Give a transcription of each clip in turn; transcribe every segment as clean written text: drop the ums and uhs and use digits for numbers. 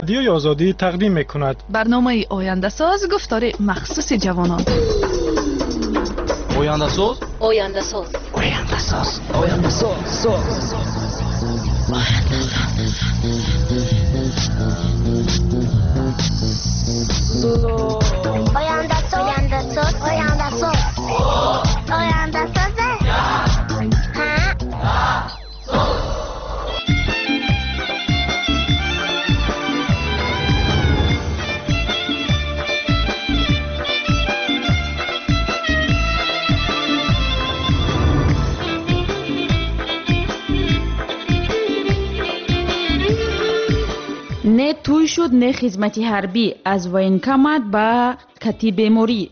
Радиои Озодӣ тақдим мекунад. Барномаи Ояндасоз, гуфтори махсуси ҷавонон. Ояндасоз, Ояндасоз, Ояндасоз, Ояндасоз, Ояндасоз, Ояндасоз, Ояндасоз, Ояндасоз. Не тӯй шуд, не хизмати ҳарбӣ, аз военкомат ба кати беморӣ.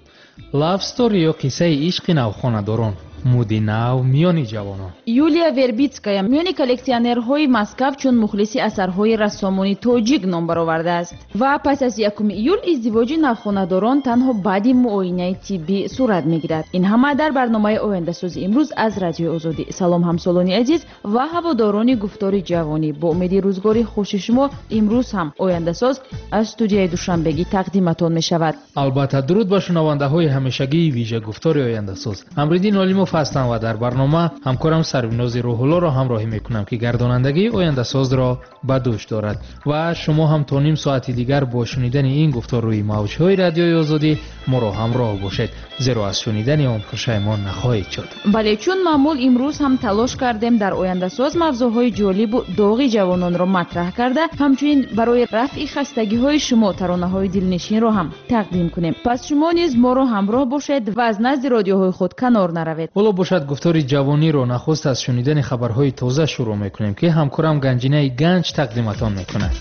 Love story ё қиссаи ишқи навхонадорон, муди нав миёни ҷавонон. Юлия Вербитская миёни коллексионерҳои Москав чун мухлиси асарҳои рассомони тоҷик ном баровардааст ва пас аз 1 июл издивоҷи навхонадорон танҳо баъди муоинаи тиббӣ сурат мегирад. Ин ҳама дар барномаи Ояндасози имрӯз аз Радиои Озодӣ. Салом, ҳамсолони азиз ва ҳаводорони гуфтори ҷавонӣ. Бо умеди рӯзгори хуши шумо имрӯз ҳам Ояндасоз аз студияи Душанбегӣ тақдиматон мешавад. Албатта, дуруд ба шунавандаҳои ҳамешагии вижа гуфтори Ояндасоз. Амриддин Олимов ҳастам ва дар барнома ҳамкорам Сарвинози Рӯҳуллоро ҳамроҳӣ мекунам, ки гардонандагии Ояндасозро ба дӯш дорад ва шумо ҳам то ним соати дигар бо шунидани ин гуфтор рӯи мавҷҳои Радиои Озодӣ моро ҳамроҳ бошед, зеро аз шунидани он пушаймон нахоҳед шуд. Бале, чун маъмул имрӯз ҳам талош кардем дар Ояндасоз мавзӯъҳои ҷолибу доғи ҷавононро матраҳ карда, ҳамчунин барои рафъи хастагиҳои шумо таронаҳои дилнишинро ҳам тақдим кунем. Пас шумо низ моро ҳамроҳ бошед ва аз назди радиоҳои худ канор наравед. Ҳоло бошад, гуфтори ҷавониро нахуст аз шунидани хабарҳои тоза шурӯъ мекунем, ки ҳамкорам Ганҷинаи Ганҷ тақдиматон мекунад.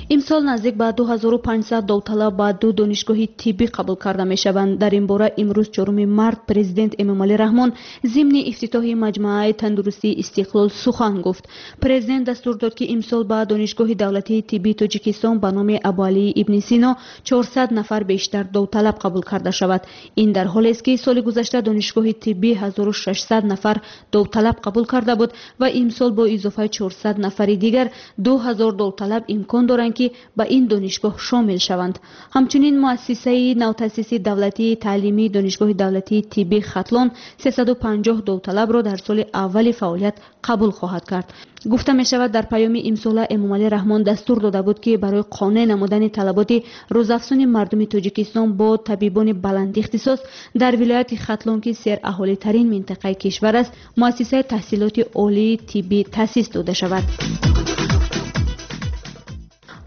Имсол наздик ба 2500 довталаб ба ду донишгоҳи тиббӣ қабул карда мешаванд. Дар ин бора имрӯз 4 март президент Эмомалӣ Раҳмон зимни ифтитоҳи маҷмӯаи тандурустии Истиқлол сухан гуфт. Президент дастур дод, ки имсол ба донишгоҳи давлатии тиббии Тоҷикистон ба номи Абуалии ибни Сино 400 нафар бештар довталаб қабул карда шавад. Ин дар ҳолест, ки соли гузашта донишгоҳи тиббӣ 1600 нафар довталаб қабул карда буд ва имсол бо изофаи 400 нафари дигар 2000 довталаб имкон доранд, ки ба ин донишгоҳ шомил шаванд. Ҳамчунин муассисаи навтаъсиси давлатии таълимии донишгоҳи давлатии тиббии Хатлон 350 довталабро дар соли аввали фаъолият қабул хоҳад кард. Гуфта мешавад, дар паёми имсола Эмомалӣ Раҳмон дастур дода буд, ки барои қонеъ намудани талаботи рӯзафзуни мардуми Тоҷикистон бо табибони баландихтисос дар вилояти Хатлон, ки сераҳолитарин минтақаи кишвар аст, муассисаи таҳсилоти олии тиббӣ таъсис дода шавад.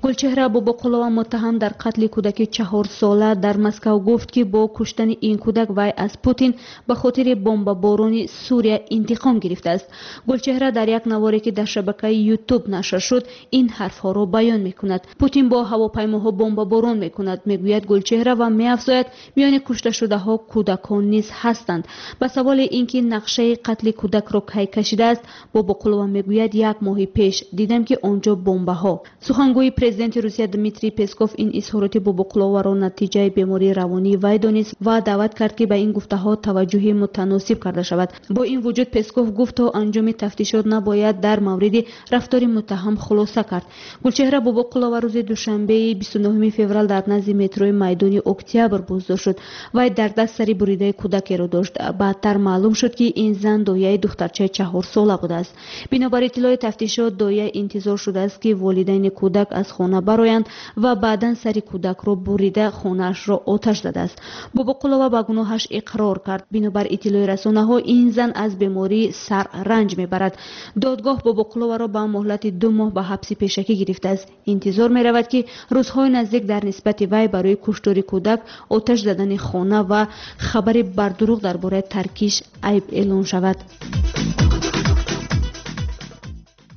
Гулчеҳра Бобоқулова, муттаҳам дар қатли кӯдаки 4-сола дар Москав, гуфт, ки бо куштани ин кӯдак вай аз Путин ба хотири бомбаборони Сурия интиқом гирифтааст. Гулчеҳра дар як наворе, ки дар шабакаи Ютуб нашр шуд, ин ҳарфҳоро баён мекунад. Путин бо ҳавопаймоҳо бомбаборон мекунад, мегӯяд Гулчеҳра ва меафзояд, миёни кушташудаҳо кӯдакон низ ҳастанд. Ба саволи ин ки нақшаи қатли кӯдакро кай кашидааст, Бобоқулова мегӯяд, як моҳи пеш дидам, ки он ҷо бомбаҳо. Сухангӯи президенти Русия Дмитрий Песков ин изҳороти Бобоқуловаро натиҷаи бемории равонии вай донист ва даъват кард, ки ба ин гуфтаҳо таваҷҷӯҳи мутаносиб карда шавад. Бо ин вуҷуд Песков гуфт, то анҷоми тафтишот набояд дар мавриди рафтори муттаҳам хулоса кард. Гулчеҳра Бобоқулова рӯзи душанбеи 29 феврал дар назди метрои майдони Октябр боздошт шуд. Вай дар даст сари буридаи кӯдакеро дошт. Баъдтар маълум шуд, ки ин зан дояи духтарчаи 4-сола будааст. Бинобар иттилои тафтишот, доя интизор шудааст, ки волидайни кӯдак аз хона бароянд ва баъдан сари кӯдакро бурида хонаашро оташ задааст. Бобоқулова ба гуноҳаш иқрор кард. Бинобар иттилои расонаҳо, ин зан аз бемории сар ранҷ мебарад. Додгоҳ Бобоқуловаро ба муҳлати 2 моҳ ба ҳабси пешакӣ гирифтааст. Интизор меравад, ки рӯзҳои наздик дар нисбати вай барои куштори кӯдак, оташ задани хона ва хабари бардурӯғ дар бораи таркиш айб эълон шавад.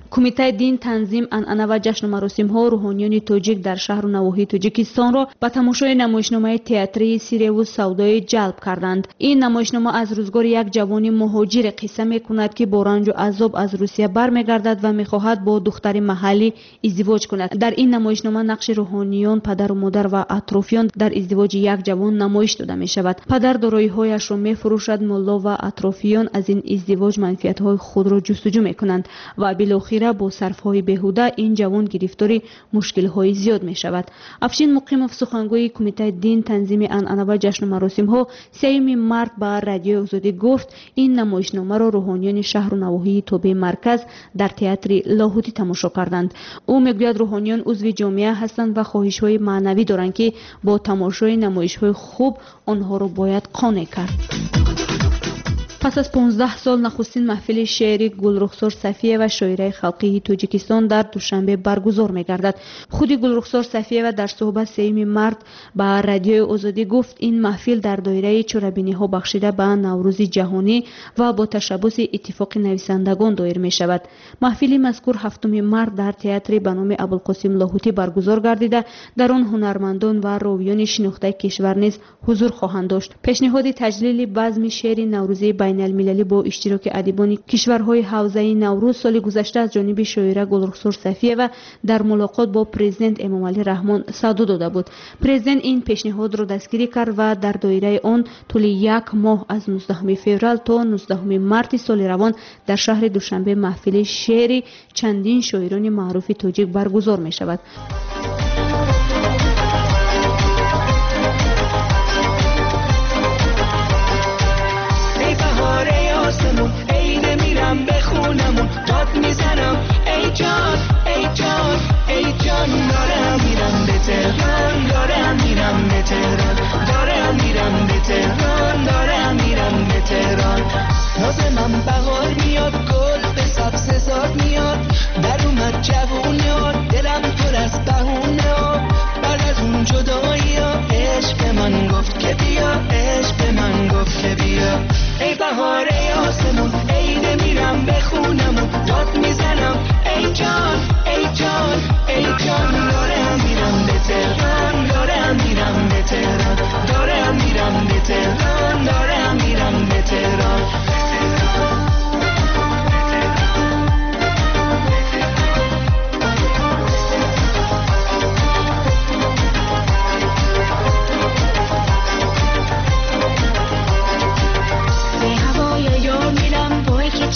Кумитаи дин, танзим, анъана ва ҷашну маросимҳо рӯҳониёни тоҷик дар шаҳру навоҳии Тоҷикистонро ба тамошои намоишномаи театрии Сиреву савдоӣ ҷалб карданд. Ин намоишнома аз рӯзгори як ҷавони муҳоҷире қисса мекунад, ки бо ранҷу азоб аз Русия бармегардад ва мехоҳад бо духтари маҳаллӣ издивоҷ кунад. Дар ин намоишнома нақши рӯҳониён, падару модар ва атрофиён дар издивоҷи як ҷавон намоиш дода мешавад. Падар дороиҳояшро мефурӯшад, мулло ва атрофиён аз ин издивоҷ манфиатҳои худро ҷустуҷӯ мекунанд ва билохира Натиҷа бо сарфҳои беҳуда ин ҷавон гирифтори мушкилҳои зиёд мешавад. Афшин Муқимов, сухангӯи Кумитаи дин, танзими анъана ва ҷашну маросимҳо, 3 март ба Радиои Озодӣ гуфт, ин намоишномаро рӯҳониёни шаҳру навоҳии тобеи марказ дар театри Лоҳутӣ тамошо карданд. Ӯ мегӯяд, рӯҳониён узви ҷомеа ҳастанд ва хоҳишҳои маънавӣ доранд, ки бо тамошои намоишҳои хуб онҳоро бояд қонеъ кард. Пас аз 15 сол нахустин маҳфили шеъри Гулрухсор Сафиева, шоираи халқии Тоҷикистон, дар Душанбе баргузор мегардад. Худи Гулрухсор Сафиева дар суҳбат 3 март ба Радиои Озодӣ гуфт, ин маҳфил дар доираи чорабиниҳо бахшида ба Наврӯзи ҷаҳонӣ ва бо ташаббуси Иттифоқи нависандагон доир мешавад. Маҳфили мазкур 7 март дар театри ба номи Абулқосим Лоҳутӣ баргузор гардида, дар он ҳунармандон ва ровиёни шинохтаи кишвар низ ҳузур хоҳанд дошт. Пешниҳоди таҷлили базми шеъри наврӯзии байналмилалӣ бо иштироки адибони кишварҳои ҳавзаи Наврӯз соли гузашта аз ҷониби шоира Гулрухсор Сафиева дар мулоқот бо президент Эмомалӣ Раҳмон садо дода буд. Президент ин пешниҳодро дастгирӣ кард ва дар доираи он тӯли як моҳ аз 19 феврал то 19 марти соли равон дар шаҳри Душанбе маҳфили шеъри чандин шоирони маъруфи тоҷик баргузор мешавад. میزنم ای جان ای جان ای جان، دارم میرم به تهران، دارم میرم به تهران، دارم میرم به تهران، دارم میرم به تهران. نازمم بهار میاد، گل به سبز زار میاد، در اومد جوونه، دلم پر از بهونه، بعد از اون جدایی عشق به من گفت که بیا، عشق به من گفت که بیا. ای بهار ای آسمون، عید میرم به خونمون، داد میزنم ای جان ای جان ای جان، دارم میرم به تهران، دارم میرم به تهران، دارم میرم به تهران، دارم میرم به تهران.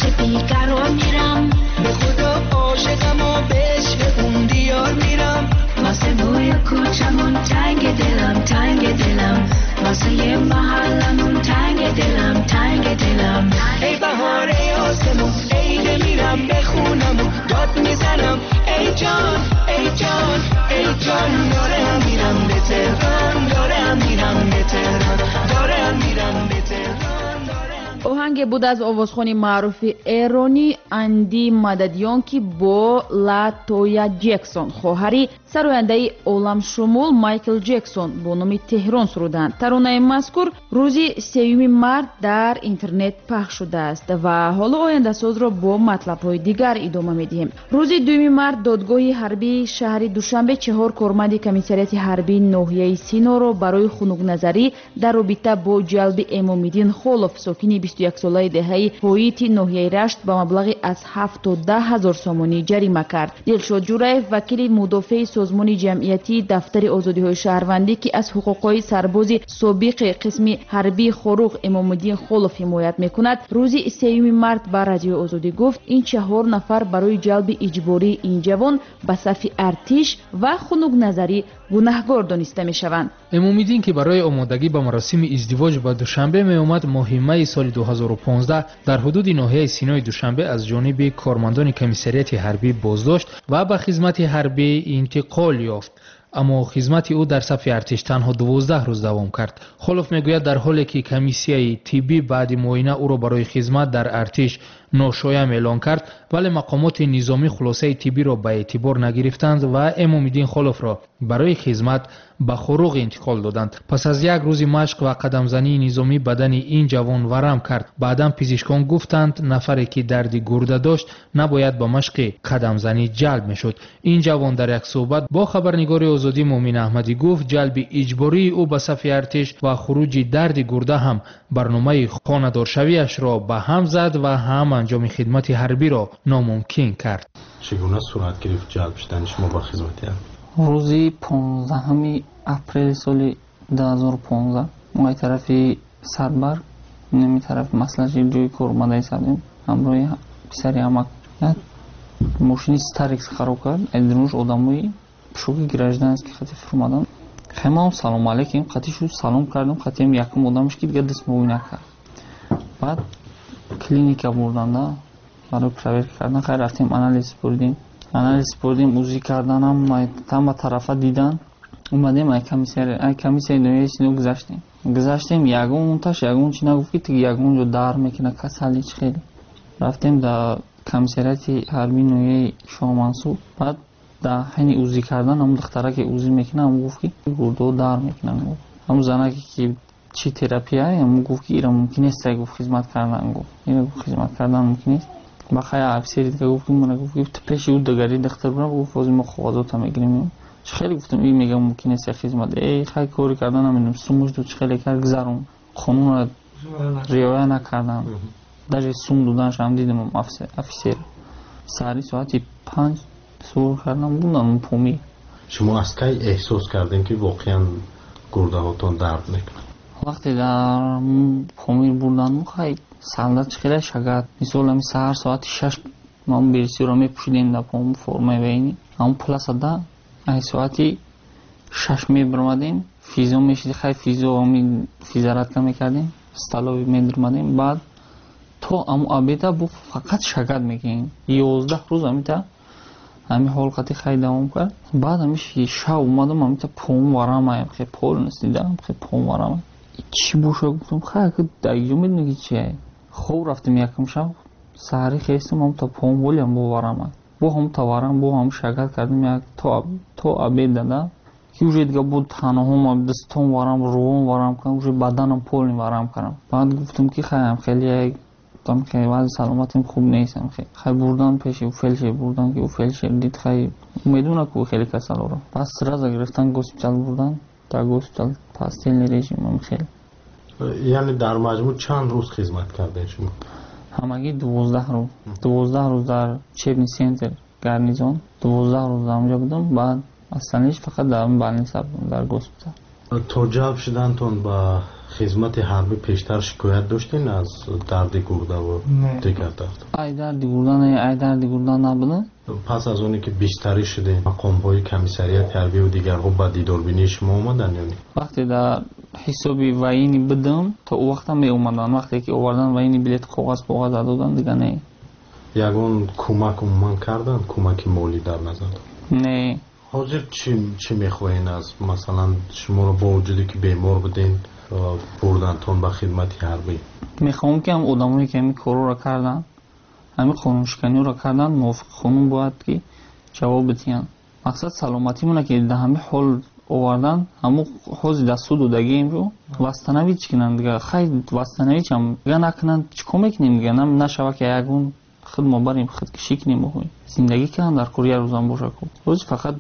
چه بیقرار میرم، به خدا عاشقم و به عشق اون دیار میرم، واسه بوی کوچمون تنگ دلم تنگ دلم، واسه یه محلمون تنگ دلم تنگ دلم. ای بهار ای آسمون، عید میرم به خونمون، داد میزنم ای جان ای جان ای جان، دارم میرم به تهران، دارم میرم به تهران، دارم میرم به تهران. Оҳанге буд аз овозхони маъруфи эронӣ Анди Мададиён, ки бо Ла Тоя Ҷексон, хоҳари сарояндаи оламшумул Майкл Ҷексон, бо номи Теҳрон суруданд. Таронаи мазкур рӯзи 3 март дар интернет пахш шудааст ва ҳоло ояндасозро бо матлабҳои дигар идома медиҳем. Рӯзи 2 март додгоҳи ҳарбии шаҳри Душанбе 4 корманди комиссариати ҳарбии ноҳияи Синоро барои хунукназарӣ дар робита бо ҷалби Эмомиддин Холов, сокини 21-солаи деҳаи Ҳоити ноҳияи Рашт, ба маблағи аз 7 то 10 ҳазор сомонӣ ҷарима кард. Дилшод Ҷураев, вакили мудофеи созмони ҷамъиятии Дафтари озодиҳои шаҳрвандӣ, ки аз ҳуқуқҳои сарбози собиқи қисми ҳарбии Хоруғ Эмомиддин Холов ҳимоят мекунад, рӯзи 3 март ба Радиои Озодӣ гуфт, ин 4 нафар барои ҷалби иҷбории ин ҷавон ба сафи артиш ва хунукназарӣ гунаҳгор дониста мешаванд. Эмомиддин, ки барои омодагӣ ба маросими издивоҷ ба Душанбе меомад, моҳи майи соли 2015 дар ҳудуди ноҳияи Синои Душанбе аз ҷониби кормандони комиссариати ҳарбӣ боздошт ва ба хизмати ҳарбӣ интиқол ёфт. Аммо хизмати ӯ дар сафи артиш танҳо 12 рӯз давом кард. Холов мегӯяд, дар ҳоле ки комиссияи тиббӣ баъди муоина ӯро барои хизмат дар артиш ношоям эълон кард, вале мақомоти низомӣ хулосаи тиббиро ба эътибор нагирифтанд ва Эмомиддин Холовро барои хизмат ба Хоруғ интиқол доданд. Пас аз як рӯзи машқ ва қадамзании низомӣ бадани ин ҷавон варам кард. Баъдан пизишкон гуфтанд, нафаре ки дарди гурда дошт набояд ба машқи қадамзанӣ ҷалб мешуд. Ин ҷавон дар як суҳбат бо хабарнигори Озодӣ Муъмин Аҳмадӣ гуфт, ҷалби иҷбории ӯ ба сафи артиш ва хуруҷи дарди гурда ҳам барномаи хонадоршавиашро ба ҳам зад ва ҳам анҷоми хидмати ҳарбиро номумкин кард. Чӣ гуна сурат гирифт ҷалб шудани шумо ба хизмати ҳарбӣ? Рӯзи 15 апрели соли 2015 мо аз тарафи Сарбар, нами тарафи маслаҳати ҷои кор омада истодем, ҳамроҳи писари амак. Як Мошини Старекс хароб кард, айдирунш одамои пушоки гражданский хати фурмадан. Хай, салом алейкум, қати шу салом кардам, қатиам якум одамш ки дига даст муоина кард. Баъд клиника бурданда барои проверка кардан. Хай, рафтем, анализ супурдем, анализ супурдем, УЗИ карданам, ҳама тарафа дидан. Омадем, ай комиссияи ноҳияи Сино гузаштем. Гузаштем, ягонташ ягон чи нагуфт, ки тиги ягон ҷо дар мекуна, касали чи хеле. Рафтем дар комиссариати ҳарбии ноҳияи Шоҳмансур. Баъд дар ҳайни УЗИ кардан ҳамун духтара, ки УЗИ мекунад, ҳамун гуфт, ки гурдаҳо дар мекунанд. Ҳамун занаке, ки чи терапия, ҳамун гуфт, ки ира мумкин нест, гуфт, хизмат кардан, гуфт, ира, гуфт, хизмат кардан мумкин нест. Ба хай офисери дига гуфт, ки мана, гуфт, ки пеши ӯ дигари духтар бурам, гуфт, ҳозир мо коғазота мегирем. Чӣ хеле гуфтам, и мегам мумкин нест хизмат. Э, хай, кори кардан намедонам, сумуш дод, чӣ хеле кард, гузарон, қонунро риоя накардан. Даже сум доданашам дидам. Офисер саҳари соати 5 сур кардам, будам Помир. Шумо аз кай эҳсос кардем, ки воқеан гурдаҳотон дард мекунад? Вақте дар Помир бурданму, хай, солдат чӣ хеле шагат, мисол, ами саҳар соати 6 ман берсиро мепӯшидем, дар пом формаи военный, ҳамун пласада ай соати 6 мебиромадем, физо мешиди, хай, физо, ами физзарядка мекардем, столовый медиромадем. Баъд то аму обеда бу фақат шагат мекунем. 11 рӯз амита ҳами ҳол қати хай давом кард. Баъд ами шав омадам, амита пом варамаям, хе полностью дидам, хе пом варамай, чӣ боша, гуфтам, хай, даиҷо медони ки чие. Хоб рафтем, якум шаб саҳарӣ хестам, ҳамта пом ҳолиам бо варамай, бо ҳамта варам, бо ҳам шагат кардем як то обед дада, ки уже дига бо танаҳом, дастом варам, рувом варам кардам, уже баданам полный варам кардам. Баъд гуфтам, ки хайам хеле як гуфтам, ки вазъи саломатим хуб нест. Хай, бурдан пеши фельдшер, бурдан, ки ӯ фельдшер дид, хай, медона ку хеле касалоро. Пас сразу гирифтан, госпитал бурдан, дар госпитал постельный режим хеле. Яъне дар маҷмӯъ чанд рӯз хизмат кардем шумо? Ҳамагӣ 12 рӯз. 12 рӯз дар учебный центр гарнизон, 12 рӯз дар онҷо будам. Баъд остальныйш фақат дар больница будам, дар госпитал. То ҷалб шудантон ба хизмати ҳарбӣ пештар шикоят доштен аз дарди гурдаву дигар дард? Ай дарди гурда не, ай дарди гурда набуда. Пас аз оне ки бистарӣ шудем, мақомҳои комиссариати ҳарбиву дигарҳо ба дидорбинии шумо омаданд ё не? Вақте дар ҳисоби военный будам, то ӯ вақта меомаданд. Вақте ки овардан военный билет, коғаз поғаз доданд, дига не. Ягон кӯмак умуман карданд, кӯмаки молӣ дар назар? Не. Ҳозир чӣ мехоҳен аз, масалан, шуморо бо вуҷуде ки бемор буден, бурдантон ба хидмати ҳарбӣ? Мехоҳам, ки ҳам одамое, ки ҳамин корҳоро карданд, ҳамин қонуншиканиҳоро карданд, мувофиқи қонун бояд ки ҷавоб бидиҳанд. Мақсад саломатимона, ки дар ҳамин ҳол овардан, ҳамун ҳози дар суд додагиемро восстановить кунанд дига. Хай, восстановить ҳам дига накунанд, чӣ кор мекунем дига? Нашава, ки ягон худ мо барем, худкушӣ кунем. Зиндагӣ кунанд дар кор, як рӯзам боша ку. Ҳозир фақат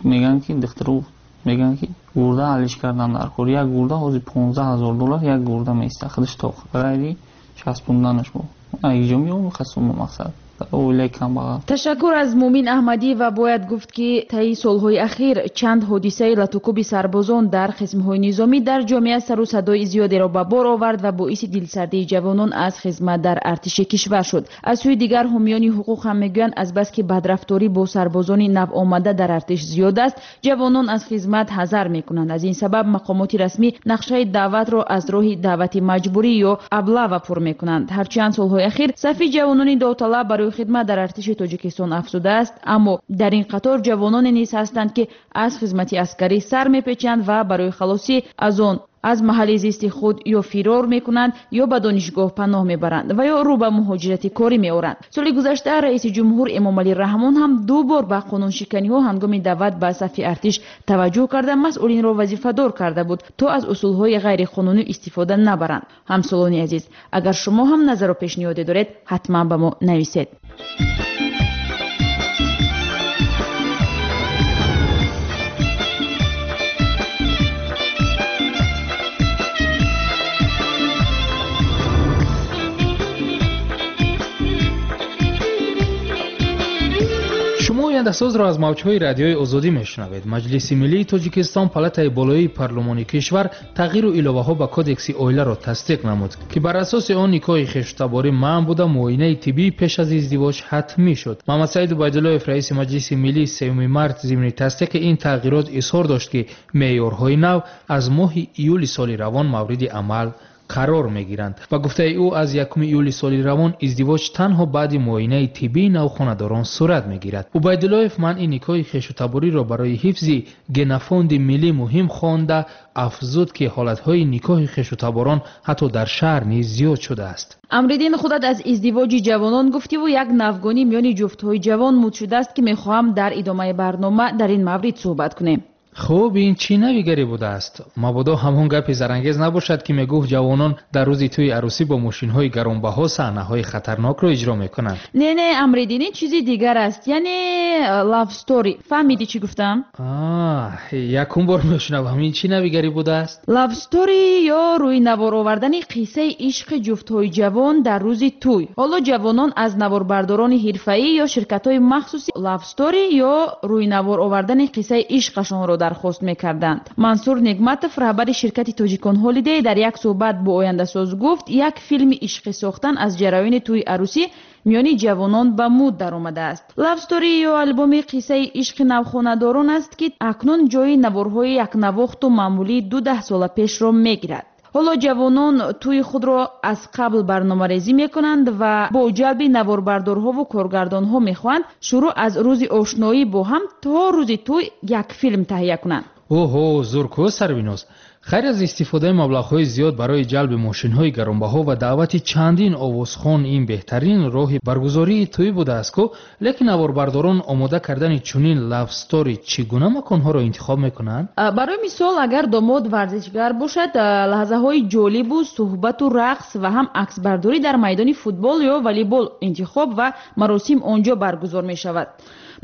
мегӯянд, ки духтару мегӯянд, ки гурда ҳаллиш кардан дар кор. Як гурда ҳозир 15 000 доллар, як гурда меиста худаш тоқ, ғайри часпонданаш бо иҷо меом хасума, мақсад оилаи камбағал. Ташаккур аз Муъмин Аҳмадӣ. Ва бояд гуфт, ки таи солҳои ахир чанд ҳодисаи латукуби сарбозон дар қисмҳои низомӣ дар ҷомеа сару садои зиёдеро ба бор овард ва боиси дилсардии ҷавонон аз хизмат дар артиши кишвар шуд. Аз сӯи дигар, ҳомиёни ҳуқуқ ҳам мегӯянд, азбаски бадрафторӣ бо сарбозони навомада дар артиш зиёд аст, ҷавонон аз хизмат ҳазар мекунанд. Аз ин сабаб мақомоти расмӣ нақшаи даъватро аз роҳи даъвати маҷбурӣ ё облава пур мекунанд. Ҳарчанд солҳои ахир сафи ҷавонони довталаб барои хидмат дар артиши Тоҷикистон афзудааст, аммо дар ин қатор ҷавононе низ ҳастанд, ки аз хизмати аскарӣ сар мепечанд ва барои халосӣ аз он аз маҳалли зисти худ ё фирор мекунанд, ё ба донишгоҳ паноҳ мебаранд ва ё рӯ ба муҳоҷирати корӣ меоранд. Соли гузашта раиси ҷумҳур Эмомалӣ Раҳмон ҳам ду бор ба қонуншиканиҳо ҳангоми даъват ба сафи артиш таваҷҷӯҳ карда, масъулинро вазифадор карда буд, то аз усулҳои ғайриқонунӣ истифода набаранд. Ҳамсолони азиз, агар шумо ҳам назару пешниҳоде доред, ҳатман ба мо нависед. Шумо Ояндасозро аз мавҷҳои радиои Озодӣ мешунавед. Маҷлиси миллии Тоҷикистон, палатаи болоии парлумони кишвар, тағйиру иловаҳо ба кодекси оиларо тасдиқ намуд, ки бар асоси он никоҳи хештаборӣ манъ буда, муоинаи тиббӣ пеш аз издивоҷ ҳатмӣ шуд. Муҳаммадсаид Убайдуллоев, раиси Маҷлиси миллӣ, 3 март зимни тасдиқи ин тағйирот изҳор дошт, ки меъёрҳои нав аз моҳи июли соли равон мавриди амал қарор мегиранд. Ба гуфтаи ӯ, аз 1 июли соли равон издивоҷ танҳо баъди муоинаи тиббии навхонадорон сурат мегирад. Убайдуллоев манъи никоҳи хешутабориро барои ҳифзи генофонди миллӣ муҳим хонда, афзуд, ки ҳолатҳои никоҳи хешутаборон ҳатто дар шаҳр низ зиёд шудааст. Амриддин, худат аз издивоҷи ҷавонон гуфтиву як навгонӣ миёни ҷуфтҳои ҷавон муд шудааст, ки мехоҳам дар идомаи барнома дар ин маврид суҳбат кунем. Хуб, ин чӣ навигарӣ будааст? Мабодо ҳамон гапи зарангез набошад, ки мегуфт ҷавонон дар рӯзи тӯи арӯсӣ бо мошинҳои гаронбаҳо саҳнаҳои хатарнокро иҷро мекунанд. Не, не, Амриддин, ин чизи дигар аст, яъне love story. Фаҳмидӣ чӣ гуфтам? Якум бор мешунавам. Ин чӣ навигарӣ будааст? Love story ё рӯи навор овардани қиссаи ишқи ҷуфтҳои ҷавон дар рӯзи тӯй. Ҳоло ҷавонон аз наворбардорони ҳирфаӣ ё ширкатҳои махсуси love story ё рӯи навор овардани қиссаи ишқашонро дархост мекарданд. Мансур Негматов, раҳбари ширкати Тоҷикон Ҳолидей, дар як суҳбат бо Ояндасоз гуфт, як филми ишқӣ сохтан аз ҷараёни тӯи арӯсӣ миёни ҷавонон ба муд даромадааст. Love story ё албоми қиссаи ишқи навхонадорон аст, ки акнун ҷои наворҳои якнавохту маъмулии ду даҳсола пешро мегирад. Ҳоло ҷавонон тӯи худро аз қабл барномарезӣ мекунанд ва бо ҷалби наворбардорҳову коргардонҳо мехоҳанд шурӯъ аз рӯзи ошноӣ бо ҳам то рӯзи тӯй як филм таҳия кунанд. Оҳо, зурку Сарвиноз. Хайр, аз истифодаи маблағҳои зиёд барои ҷалби мошинҳои гаронбаҳо ва даъвати чандин овозхон ин беҳтарин роҳи баргузории тӯй будааст ку, лекин наворбардорон омода кардани чунин love story чӣ гуна маконҳоро интихоб мекунанд? Барои мисол, агар домод варзишгар бошад, лаҳзаҳои ҷолибу суҳбату рақс ва ҳам аксбардорӣ дар майдони футбол ё волейбол интихоб ва маросим он ҷо баргузор мешавад.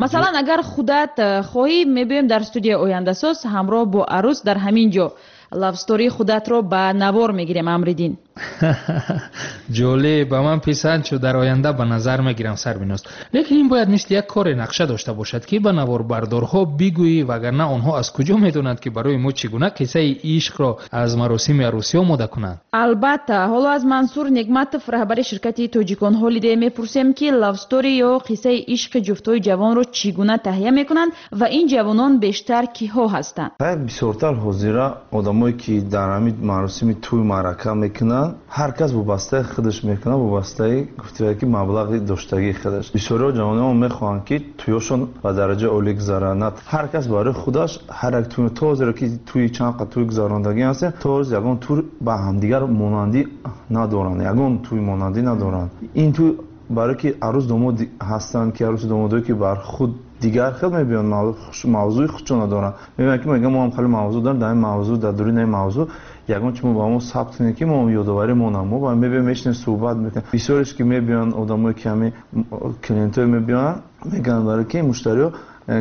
Масалан, агар худат хоҳӣ, мебиёем дар студияи Ояндасоз ҳамроҳ бо арӯс дар ҳамин ҷо love story худатро ба навор мегирем, Амриддин. Ҷолиб, ба ман писанд шуд, дар оянда ба назар мегирам, Сарвиноз. Лекин ин бояд мисли як коре нақша дошта бошад, ки ба наворбардорҳо бигӯӣ, вагарна онҳо аз куҷо медонанд, ки барои мо чӣ гуна қиссаи ишқро аз маросими арӯсӣ омода кунанд? Албатта, ҳоло аз Мансур Негматов, раҳбари ширкати Тоҷикон Ҳолидей, мепурсем, ки love story ё қиссаи ишқи ҷуфтҳои ҷавонро чӣ гуна таҳия мекунанд ва ин ҷавонон бештар киҳо ҳастанд. Бисёртар ҳозира одамое ки дар ҳамин маросими тӯй маърака мекунанд, ҳар кас вобастаи худаш мекунад, вобастаи гуфтия ки маблағи доштагии худаш. Бисёриҳо ҷавонон мехоҳанд, ки тӯёшон ба дараҷаи олӣ гузаранд. Ҳар кас барои худаш ҳар як тӯй, то ҳозира ки тӯи чанд қад тӯй гузарондагӣ ҳастем, то ҳозир ягон тӯй ба ҳамдигар монандӣ надоранд, ягон тӯй монандӣ надоранд. Ин тӯй барое ки арӯс домод ҳастанд, ки арӯсу домодое ки бар худ дигар хел мебиёнд, мавзӯи худшона доранд. Мебинанд ки мегӯянд мо ҳам хеле мавзӯъ дорем, дар ин мавзӯъ, дар дуруни ин мавзӯъ ягон чи мо ба мо сабт кунем, ки мо ёдоварӣ монам. Мо ба мебиёем, мешинем, суҳбат мекунем. Бисёреш ки мебиёнд, одамое ки ҳамин клиентҳое мебиёнд, мегӯянд барое ки муштариҳо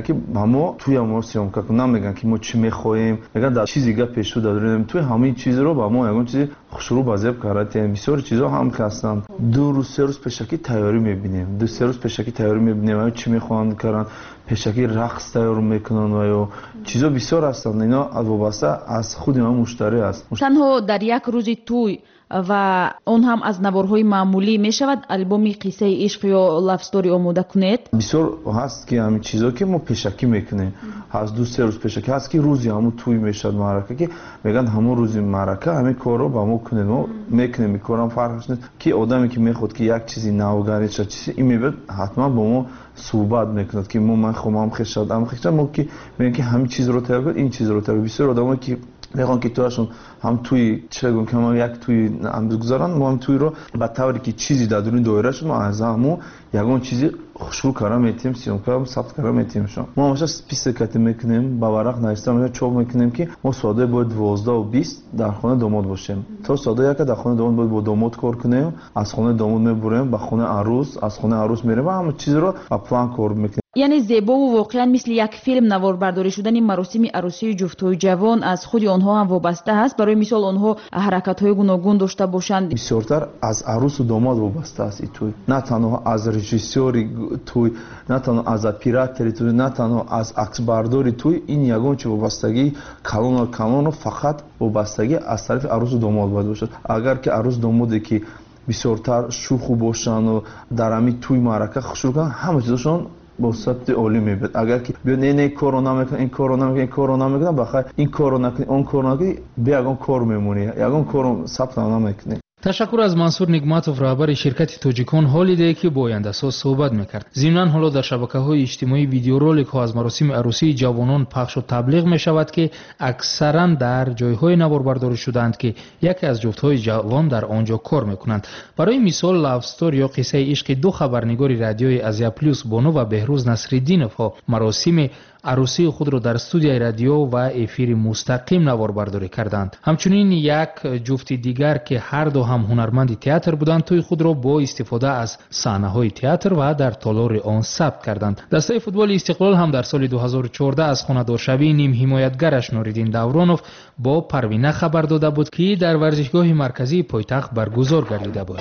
ки ба мо тӯя мо съёмка кун, намегӯянд ки мо чӣ мехоҳем, мегӯянд дар чизи гап пешу дар дуруни тӯй ҳамин чизро ба мо ягон чизи хушрӯ ба зеб карда. Бисёри чизҳо ҳам ҳастанд. 2 рӯз 3 рӯз пешакӣ тайёрӣ мебинем, 2-3 рӯз пешакӣ тайёрӣ мебинем, чӣ мехоҳанд каранд, пешакӣ рақс тайёр мекунанд ва ё чизҳо бисёр ҳастанд. Ино вобаста аз худи ҳамон муштарӣ аст. Танҳо дар як рӯзи тӯй ва он ҳам аз наворҳои маъмулӣ мешавад албоми қиссаи ишқ ё love story омода кунед? Бисёр ҳаст ки ҳамин чизҳо ки мо пешакӣ мекунем, ҳаст 2-3 рӯз пешакӣ, ҳаст ки рӯзи ҳамон тӯй мешавад маърака, ки мегӯянд ҳамон рӯзи маърака ҳамин корро ба мо кунед, мо мекунем. Ин корам фарқш нест ки одаме ки мехоҳад ки як чизи навгарӣ шавад, чизи ин мебиёд ҳатман бо мо суҳбат мекунад ки мо ман хоҳам хешад, ам хешад, мо ки мегӯем ки ҳамин чизро тайёр кунед, ин чизро тайёр. Бисёр одамое ки мехоҳанд ки тӯяшон ҳам тӯи чӣ гӯем ки ҳам як тӯи гузаранд, мо ҳам тӯйро ба тавре ки чизи дар дуруни доира шуд, мо аз ҳамон ягон чизи хушрӯ карда метиҳем, съёмка сабт карда метиҳемшон. Мо ҳамеша список кати мекунем, ба варақ нависта мешавад, чоп мекунем ки мо соатҳои бояд 12:20 дар хонаи домод бошем. То соатҳои 1 дар хонаи домод бояд бо домод кор кунем, аз хонаи домод мебурем ба хонаи арӯс, аз хонаи арӯс мерем ва ҳама чизро ба план кор мекунем. Яъне зебову воқеан мисли як филм наворбардорӣ шудани маросими арӯсии ҷуфтҳои ҷавон аз худи онҳо ҳам вобаста аст. Барои мисол, онҳо ҳаракатҳои гуногун дошта бошанд. Бисёртар аз арӯсу домод вобаста аст и тӯй, на танҳо аз режиссёри тӯй, на танҳо аз оператори тӯй, на танҳо аз аксбардори тӯй. Ин ягон чи вобастагии калону калону фақат вобастагӣ аз тарафи арӯсу домод бояд бошад. Агар ки арӯсу домоде ки бисёртар шӯху бошанду дар ҳамин тӯй маърака хушрӯ кунанд, ҳама чизошон бо сабти олӣ мебиёд. Агар ки биё не, не, корро намекунам, ин корро намекунам, ин корро намекунам, бахайр, ин корро накунӣ, он корро накунӣ, бе ягон кор мемонӣ, ягон корро сабтам намекунӣ. Ташаккур аз Мансур Нигматов, раҳбари ширкати Тоҷикон Ҳолидей, ки бо ояндасоз суҳбат мекард. Зимнан, ҳоло дар шабакаҳои иҷтимоӣ видеороликҳо аз маросими арӯсии ҷавонон пахшу таблиғ мешавад, ки аксаран дар ҷойҳое наворбардорӣ шудаанд, ки яке аз ҷуфтҳои ҷавон дар он ҷо кор мекунанд. Барои мисол, love story ё қиссаи ишқи ду хабарнигори радиои Азия Плюс, Бону ва Беҳрӯз Насриддиновҳо, маросими арӯсии худро дар студияи радио ва эфири мустақим наворбардорӣ карданд. Ҳамчунин як ҷуфти дигар, ки ҳарду ҳам ҳунарманди театр буданд, тӯи худро бо истифода аз саҳнаҳои театр ва дар толори он сабт карданд. Дастаи футболи Истиқлол ҳам дар соли 2014 аз хонадоршавии нимҳимоятгараш Нуриддин Давронов бо Парвина хабар дода буд, ки дар варзишгоҳи марказии пойтахт баргузор гардида буд.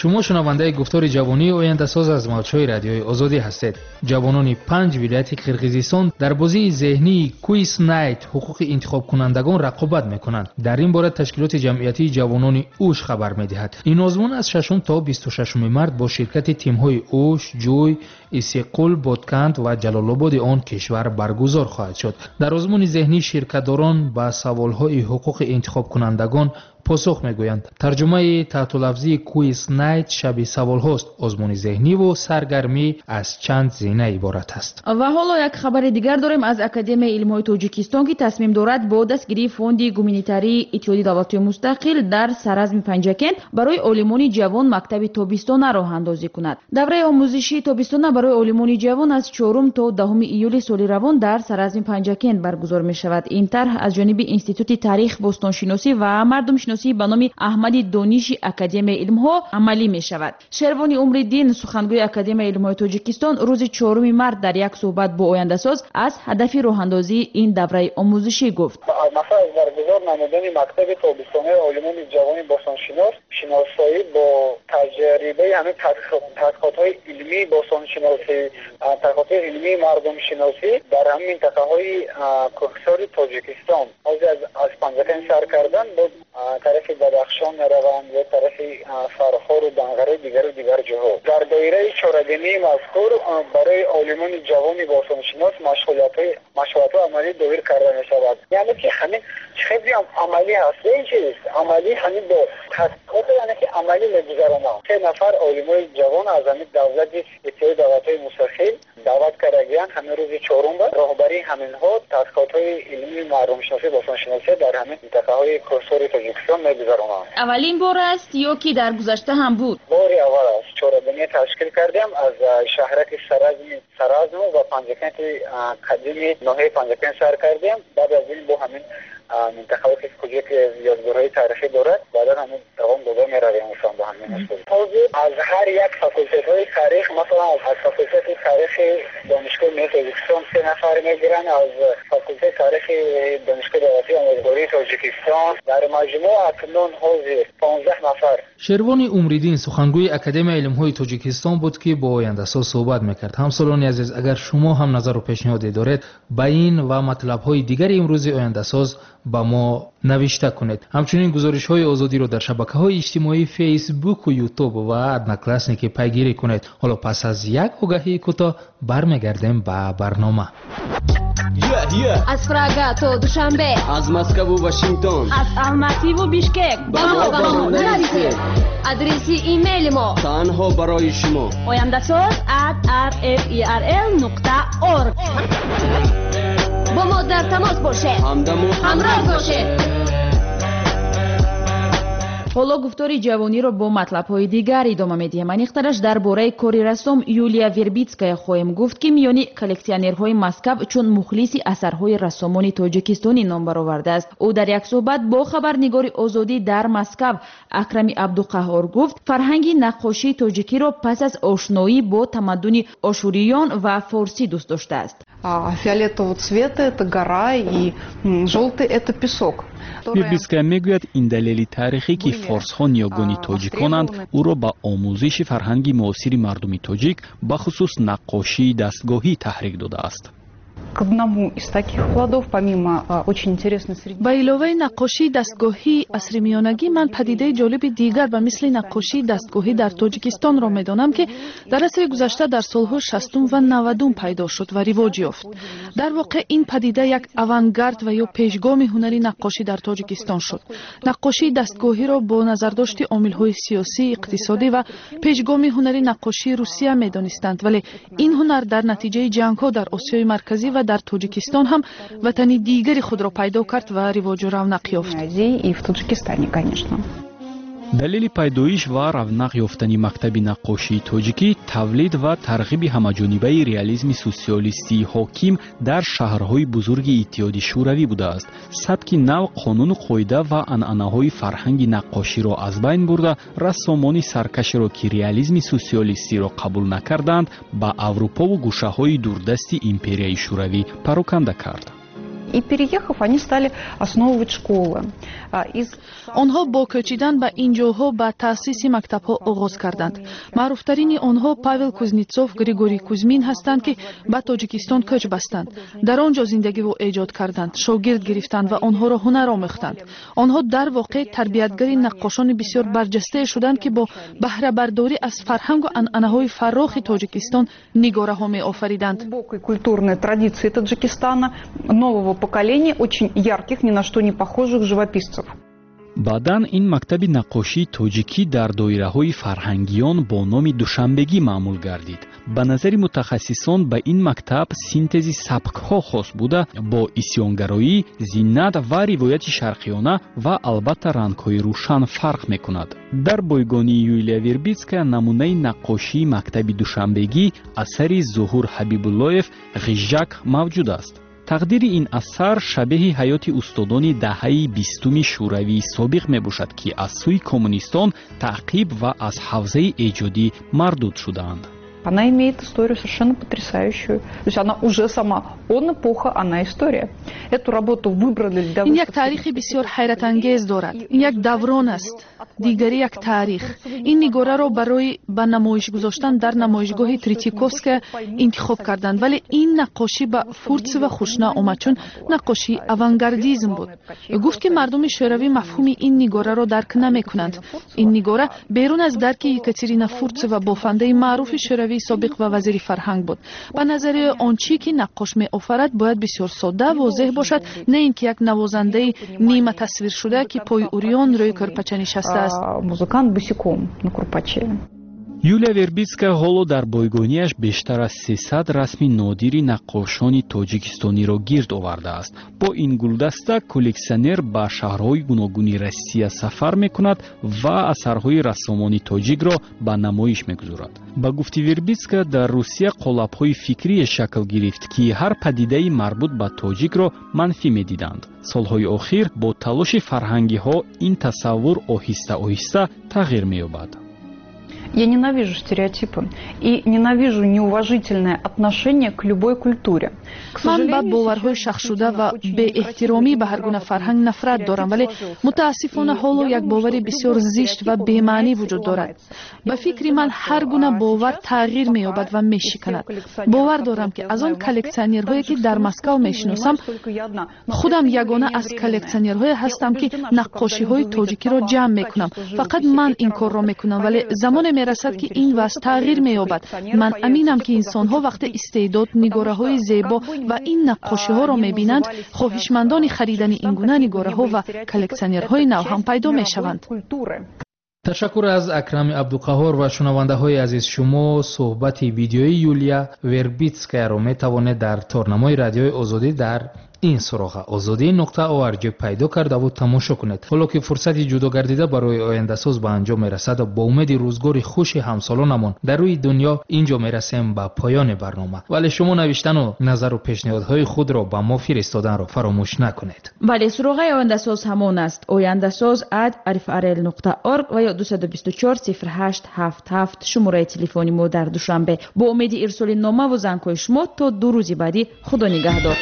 Шумо шунавандаи гуфтори ҷавонии ояндасоз аз мавҷҳои радиои Озодӣ ҳастед. Ҷавонони панҷ вилояти Қирғизистон дар бозии зеҳнии Quiz Night ҳуқуқи интихобкунандагон рақобат мекунанд. Дар ин бора ташкилоти ҷамъиятии ҷавонони Уш хабар медиҳад. Ин озмун аз 6 то 26 март бо ширкати тимҳои Уш, Ҷӯй, Иссиқул, Ботканд ва Ҷалолободи он кишвар баргузор хоҳад шуд. Дар озмуни зеҳнӣ ширкатдорон ба саволҳои ҳуқуқи интихобкунандагон посух мегӯянд. Тарҷумаи таҳтулафзии Quiz Night шаби саволҳост. Озмуни зеҳниву саргармӣ аз чанд зина иборат аст. Ва ҳоло як хабари дигар дорем аз Академияи илмҳои Тоҷикистон, ки тасмим дорад бо дастгирии Фонди гуманитарии Иттиҳоди давлатҳои мустақил дар саразми Панҷакент барои олимони ҷавон мактаби тобистона роҳандозӣ кунад. Давраи омӯзишии тобистона барои олимони ҷавон аз 4 то 10 июли соли равон дар саразми Панҷакент баргузор мешавад. Ин тарҳ аз ҷониби Институти таърих, бостоншиносӣ ва мардумшиносӣ ба номи Аҳмади Дониши Академияи илмҳо амалӣ мешавад. Шервони Умриддин, сухангӯи Академияи илмҳои Тоҷикистон, рӯзи 4 март дар як суҳбат бо ояндасоз аз ҳадафи роҳандозии ин давраи омӯзишӣ гуфт. Мақсад аз баргузор намудани мактаби тобистонаи олимони ҷавони бостоншинос шиносоӣ бо таҷрибаи ҳамин тадқиқотҳои илмии бостоншиносӣ, тадқиқотҳои илмии мардумшиносӣ дар ҳамин минтақаҳои кӯҳсори Тоҷикистон. Ҳозир аз Панҷакент сар кардан, боз тарафи Бадахшон мераванд ё тарафи Фархору Данғараи дигару дигар ҷоҳо. Дар доираи чорабинии мазкур барои олимони ҷавони бостоншинос машғулиятҳои амалӣ доир карда мешавад. Яъне ки ҳамин хеле амалӣ ҳаст. Ин чиз амалӣ ҳамин бо тадқиқот, яъне ки амалӣ мегузаронанд. 3 нафар олимои ҷавон аз ҳамин давлати Иттиҳоди давлатҳои мустақил даъват кардагиянд. Ҳамин рӯзи чорум роҳбарии ҳаминҳо тадқиқотҳои илмии мардумшиносӣ бостоншиносӣ дар ҳамин минтақаҳои кӯҳсори Тоҷикистон мегузаронанд. Аввалин бор аст ё ки дар гузашта ҳам буд? Бори аввал аст. Чорабинӣ ташкил кардем аз шаҳраки Саразму ва Панҷакенти қадими ноҳияи Панҷакент сар кардем. Баъд аз ин бо ҳамин минтақаҳое ки куҷо ки ёдгорҳои таърихӣ дорад, баъдан ҳамин давом дода меравем инсон бо ҳамин усул. Ҳозир аз ҳар як факултетҳои таърих, масалан аз факултети таърихи Донишгоҳи миллии Тоҷикистон 3 нафар мегиранд, аз факултети таърихи Донишгоҳи давлатии омӯзгории Тоҷикистон дар маҷмӯъ акнун ҳозир 15 нафар. Шервони Умриддин, сухангӯи Академияи илмҳои Тоҷикистон буд, ки бо ояндасоз суҳбат мекард. Ҳамсолони азиз, агар шумо ҳам назару пешниҳоде доред, ба ин ва матлабҳои дигари имрӯзи ояндасоз ба мо навишта кунед. Ҳамчунин гузоришҳои Озодиро дар шабакаҳои иҷтимоии Фейсбуку, Ютуб ва Одноклассники пайгирӣ кунед. Ҳоло пас аз як огаҳии кӯтоҳ бармегардем ба барнома. Аз Прага то Душанбе, аз Москву Вашингтон, аз Алмативу Бишкек ба мо нависед. Адреси имейли мо танҳо барои шумо: ояндасоз@rferl.org. Бо мо дар тамос бошед, ҳамдаму ҳамроҳ бошед. Ҳоло гуфтори ҷавониро бо матлабҳои дигар идома медиҳем. Аниқтараш дар бораи кори рассом Юлия Вербитская хоҳем гуфт, ки миёни коллексионерҳои Москав чун мухлиси асарҳои рассомони тоҷикистонӣ ном баровардааст. Ӯ дар як суҳбат бо хабарнигори Озодӣ дар Москав Акрами Абдуқаҳҳор гуфт, фарҳанги наққошии тоҷикиро пас аз ошноӣ бо тамаддуни ошуриён ва форсӣ дӯст доштааст. Фиолетового цвета это гора и желтый это песок. Вербитская мегӯяд, ин далели таърихӣ, ки форсҳо ниёгони тоҷиконанд, ӯро ба омӯзиши фарҳанги муосири мардуми тоҷик, бахусус наққошии дастгоҳӣ, таҳрик додааст. К одному из таких плодов, помимо очень интересной среди. Ба иловаи наққошии дастгоҳии асри миёнагӣ, ман падидаи ҷолиби дигар ба мисли наққошии дастгоҳӣ дар Тоҷикистонро медонам, ки дар асри гузашта дар солҳои 60-ум ва 90-ум пайдо шуд ва ривоҷ ёфт. Дар воқеъ, ин падида як авангард ва ё пешгоми ҳунари наққошӣ дар Тоҷикистон шуд. Наққошии дастгоҳиро бо назардошти омилҳои сиёсӣ, иқтисодӣ ва пешгоми ҳунари наққошии Русия медонистанд, вале ин ҳунар дар натиҷаи ҷангҳо дар Осиёи Марказӣ ва дар Тоҷикистон ҳам ватани дигари худро пайдо кард ва ривоҷу равнақ ёфт. И в Таджикистане, конечно. Далели пайдоиш ва равнақ ёфтани мактаби наққошии тоҷикӣ тавлид ва тарғиби ҳамаҷонибаи реализми социалистии ҳоким дар шаҳрҳои бузурги Иттиҳоди Шӯравӣ будааст. Сабки нав қонуну қоида ва анъанаҳои фарҳанги наққоширо аз байн бурда, рассомони саркашеро, ки реализми социалистиро қабул накарданд, ба Аврупову гӯшаҳои дурдасти империяи Шӯравӣ пароканда кард. И, переехав, они стали основывать школы. Из Онҳо бо кӯчидан ба ин ҷоҳо ба таъсиси мактабҳо оғоз карданд. Маъруфтарини онҳо Павел Кузнецов, Григорий Кузьмин ҳастанд, ки ба Тоҷикистон кӯч бастанд, дар он ҷо зиндагиву эҷод карданд, шогирд гирифтанд ва онҳоро ҳунар омӯхтанд. Онҳо дар воқеъ тарбиятгари наққошони бисёр барҷастае шуданд, ки бо баҳрабардорӣ аз фарҳангу анъанаҳои фаррохи Тоҷикистон нигораҳо меофариданд. Глубокой культурной традиции Таджикистана, нового поколения очень ярких, ни на что не похожих живописцев. Баъдан ин мактаби наққошии тоҷикӣ дар доираҳои фарҳангиён бо номи душанбегӣ маъмул гардид. Ба назари мутахассисон, ба ин мактаб синтези сабкҳо хос буда, бо исёнгароӣ, зинат ва ривояти шарқиёна ва албатта рангҳои рӯшан фарқ мекунад. Дар бойгонии Юлия Вербитская намунаи наққошии мактаби душанбегӣ, асари Зуҳур Ҳабибуллоев «Ғижжак» мавҷуд аст. Тақдири ин асар шабеҳи ҳаёти устодони даҳаи 20-уми Шӯравии собиқ мебошад, ки аз сӯи коммунистон таъқиб ва аз ҳавзаи эҷодӣ мардуд шудаанд. Она имеет историю совершенно потрясающую. То есть она уже сама, он эпоха, она история. Эту работу выбрали для Ин як таърихи бисёр ҳайратангез дорад. Ин як даврон аст, дигари як таърих. Ин нигораро барои ба намоиш гузоштан дар намоишгоҳи Третьяковская интихоб карданд, вале ин наққошӣ ба Фурцева хуш наомад, чун наққошии авангардизм буд. Гуфт, ки мардуми шӯравӣ мафҳуми ин нигораро дарк намекунанд. Ин нигора берун аз дарки Екатерина Фурцева, бофандаи маъруфи шӯравии собиқ ва вазири фарҳанг буд. Ба назари он чӣ ки наққош меофарад, бояд бисёр содда, возеҳ бошад, на ин ки як навозандаи ниматасвиршуда, ки пои урён рӯи кӯрпача нишастааст. Музыкант босиком на курпаче. Юлия Вербитская ҳоло дар бойгониаш бештар аз 300 расми нодири наққошони тоҷикистониро гирд овардааст. Бо ин гулдаста коллексионер ба шаҳрҳои гуногуни Россия сафар мекунад ва асарҳои рассомони тоҷикро ба намоиш мегузорад. Ба гуфти Вербитская, дар Русия қолабҳои фикрие шакл гирифт, ки ҳар падидаи марбут ба тоҷикро манфӣ медиданд. Солҳои охир бо талоши фарҳангиҳо ин тасаввур оҳиста оҳиста тағйир меёбад. Я ненавижу стереотипы и ненавижу неуважительное отношение к любой культуре. Ман ба боварҳои шахшуда ва беэҳтиромӣ ба ҳар гуна фарҳанг нафрат дорам, вале мутаассифона ҳоло як бовари бисёр зишт ва бемаънӣ вуҷуд дорад. Ба фикри ман, ҳар гуна бовар тағйир меёбад ва мешиканад. Бовар дорам, ки аз он коллексионерҳое, ки дар Москав мешиносам, худам ягона аз коллексионерҳое ҳастам, ки наққошиҳои тоҷикиро ҷамъ мекунам. Фақат ман ин корро мекунам, вале замоне мерасад, ки ин вазъ тағйир меёбад. Ман аминам, ки инсонҳо вақте истеъдод, нигораҳои зебо ва ин наққошиҳоро мебинанд, хоҳишмандони харидани ин гуна нигораҳо ва коллексионерҳои нав ҳам пайдо мешаванд. Ташаккур аз Акрами Абдуқаҳор. Ва шунавандаҳои азиз, шумо суҳбати видеои Юлия Вербитскаяро метавонед дар торнамои Радиои Озодӣ дар Ин суроға ozodi.org пайдо кардаву тамошо кунед. Ҳоло ки фурсати ҷудо гардида барои ояндасоз ба анҷом мерасад, бо умеди рӯзгори хуши ҳамсолонамон дар рӯи дунё инҷо мерасем ба поёни барнома. Вале шумо навиштану назару пешниҳодҳои худро ба мо фиристоданро фаромӯш накунед. Бале, суроғаи ояндасоз ҳамон аст: oyandasoz@rfrl.org ва ё 224 08 77 шумораи телефони мо дар Душанбе. Бо умеди ирсоли номаву зангҳои шумо то 2 рӯзи баъдӣ, худо нигаҳдор.